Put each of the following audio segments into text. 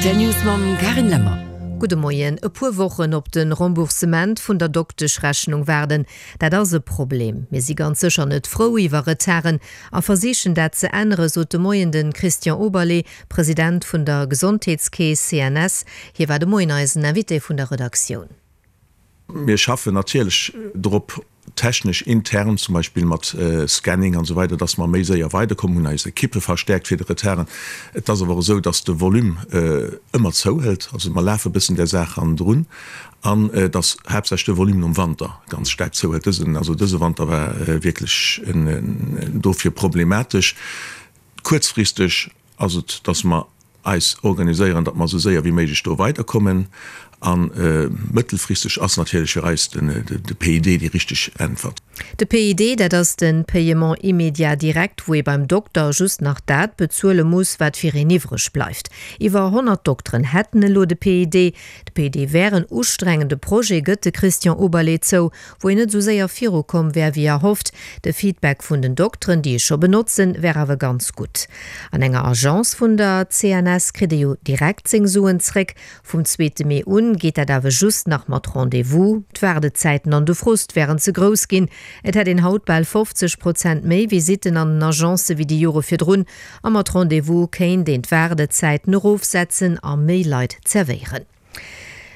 Rtl News mam Carine Lemmer. Gudde Moien. E puer Wochen op de Remboursement vun der Dokteschrechnung waarden, dat ass e Problem. Mir si ganz sécher net frou iwwer Retarden a versichen dat ze änneren, sot de Moien de Christian Oberlé, President vun der Gesondheetskeess CNS. Hie war de Moien eisen Invité vun der Redaktioun. Mir schaffen natierlech drop, technesch intern, zum Beispill mat Scanning an esou weider, dass mer méi séier weiderkommen, hunn eis Ekippe verstärkt fir de Retarden. Et ass awer och esou, dass de Volume ëmmer zouhëlt, also mer lafe e bëssen där Saach hannendrun an dass haaptsächlech de Volume nom Wanter ganz staark zouhëlt. Dësen, also dëse Wanter war wierklech dofir problematesch. Kuerzfristeg ass et, dass mer eis organiséieren, datt mer esou séier wéi méiglech do weiderkommen. A mëttelfristeg ass natierlech fir eis de PID déi richteg Äntwert. De PID, dat ass de Paiement immédiat direct, wou ee beim Dokter just nach dat bezuele muss, wat fir een iwwreg bleift. Iwwer 100 Dokteren hätten elo de PID. De PID wär en ustrengende Projet, gëtt de Christian Oberlé zou. wou een net esou séier viru komm wär wéi erhofft. De Feedback vun den Dokteren, déi e scho benotzen, wär awer ganz gutt. An enger Agence vun der CNS kritt ee jo direkt seng Suen zréck. Vum zweete Mee un geet dat awer just nach mat Rendez-vous. D'Waardezäiten an de Frust wären ze grouss ginn. Et hätt een haut bal 50 Prozent méi Visitten an den Agencë wéi déi Jore virdrun. A mat Rendez-vous kéint een d'Waardezäiten erofsetzen a méi Leit zerwéieren.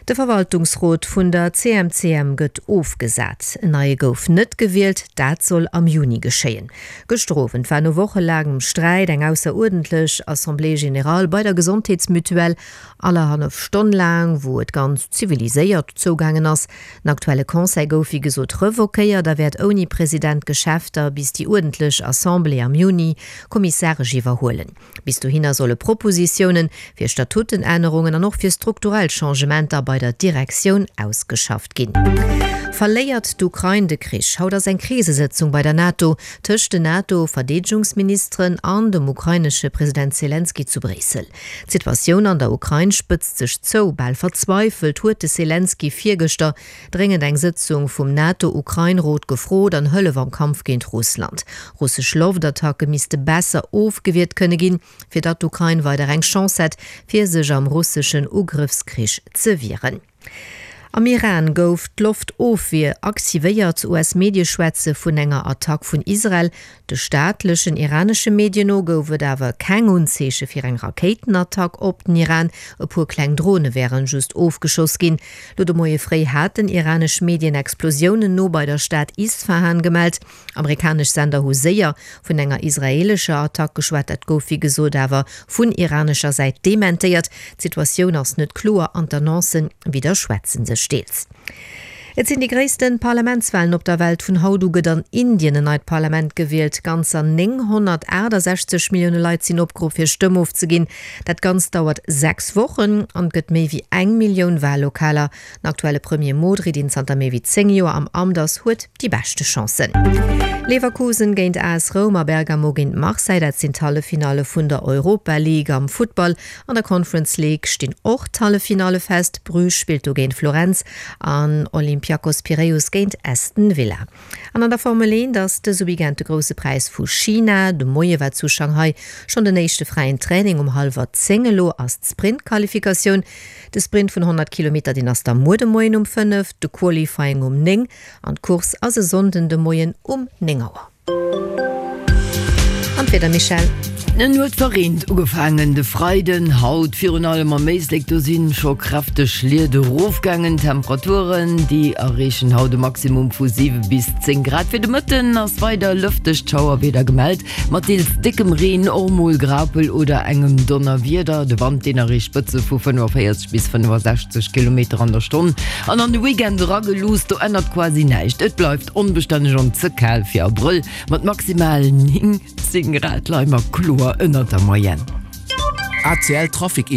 De Verwaltungsrot vun der CMCM gëtt ofgesat. En neie gouf net gewielt, dat soll am Juni geschéien. Gëschter Owend war no wochelaangem Sträit eng ausseruerdentlech Assemblée générale bei der Gesondheetsmutuelle, allerhallef Stonn laang, wou et ganz ziviliséiert zougaangen ass. Den aktuelle Conseil gouf wéi gesot revoquéiert a wäert ouni President d'Geschäfter bis déi uerdentlech Assemblée am Juni kommissaresch iwwerhuelen. Bis dohinner solle Propositiounen fir Statutenännerungen an och fir strukturell Changementer bei der Direktioun ausgeschafft ginn. Verléiert d'Ukrain de Krich? Haut ass eng Krisesëtzung bei der NATO tëscht den NATO-Verdeedegungsministeren an dem ukrainesche President Selenskyj zu Bréissel. D'Situatioun an der Ukrain spëtzt sech zou. Bal verzweifelt huet de Selenskyj virgëschter dréngend eng Sëtzung vum NATO-Ukrain-Rot gefrot an Hëllef am Kampf géint Russland. Russesch Loftattacke misste besser ofgewiert kënne ginn, fir datt d'Ukrain weider eng Chance hätt, fir sech am russeschen Ugrëffskrich ze wieren. Am Iran gouf d'Loftofwier aktivéiert. US-Medie schwätze vun enger Attack vun Israel. De staatlechen iranesche Medien no gouf et awer keng Unzeeche fir eng Rakéitenattack op den Iran. E puer kleng Drone wären just ofgeschoss ginn. Lo de Moie fréi haten iranesch Medien Explosiounen no bei der Stad Isfahan gemellt. Amerikanesch Sender hu séier vun enger israeelescher Attack geschwat. Dat gouf wéi gesot awer vun iranescher Säit dementéiert. D'Situatioun ass net kloer an d'Annoncen widderschwätze sech deels. Et sinn déi gréisste Parlamentswalen op der Welt. Vun haut u gëtt an Indien en neit Parlament gewielt. Ganzer 968 Millioune Leit sinn opgeruff hir Stëmm ofzeginn. Dat Ganzt dauert 6 Wochen an et gëtt méi wéi eng Millioun Wallokaler. Den aktuelle Premier Modri, deen zanter méi wéi 10 Joer am Amt ass, huet déi beschte Chancen. Leverkusen géint AS Roum a Bergamo géint Marseille, dat sinn d'Halleffinalle vun der Europa League am Futtball. An der Conference League stinn och d'Halleffinalle fest. Bruges spillt do géint Florenz an Olympiakos Piräus géint Aston Villa. An an der Formel 1 ass dëse Weekend de Grousse Präis vu China. De Moie war zu Shanghai schonn den éischte fräien Training um hallwer 10. Elo ass d'Sprint-Qualifikatioun. De Sprint vun 100 Kilometer, deen ass da muer de Moien um 5, de Qualifying um 9 an d'Course ass e Sonnden de Moien um 9 Auer. An d'Wieder, Michèle? En huet verreent ugefaangen de Freiden, haut virun allem am Éislek, do si scho kräfteg Schliet erofgaangen. D'Temperaturen, déi erreechen haut e Maximum vu 7 bis 10 Grad. Fir de Mëtten ass weider lëftegt Schauerwieder gemellt, mat deels déckem Reen, och mol Graupel oder engem Donnerwieder. De Wand, deen erreecht Spëtze vu 45 bis 65 Kilometer an der Stonn. An an de Weekend erageluusst, do ännert quasi näischt, et bleift Onbestänneg an ze kal fir Abrëll, mat maximal 9, 10 Grad leie mer kloer ënnert der Moyenne. ACL Trafic Info.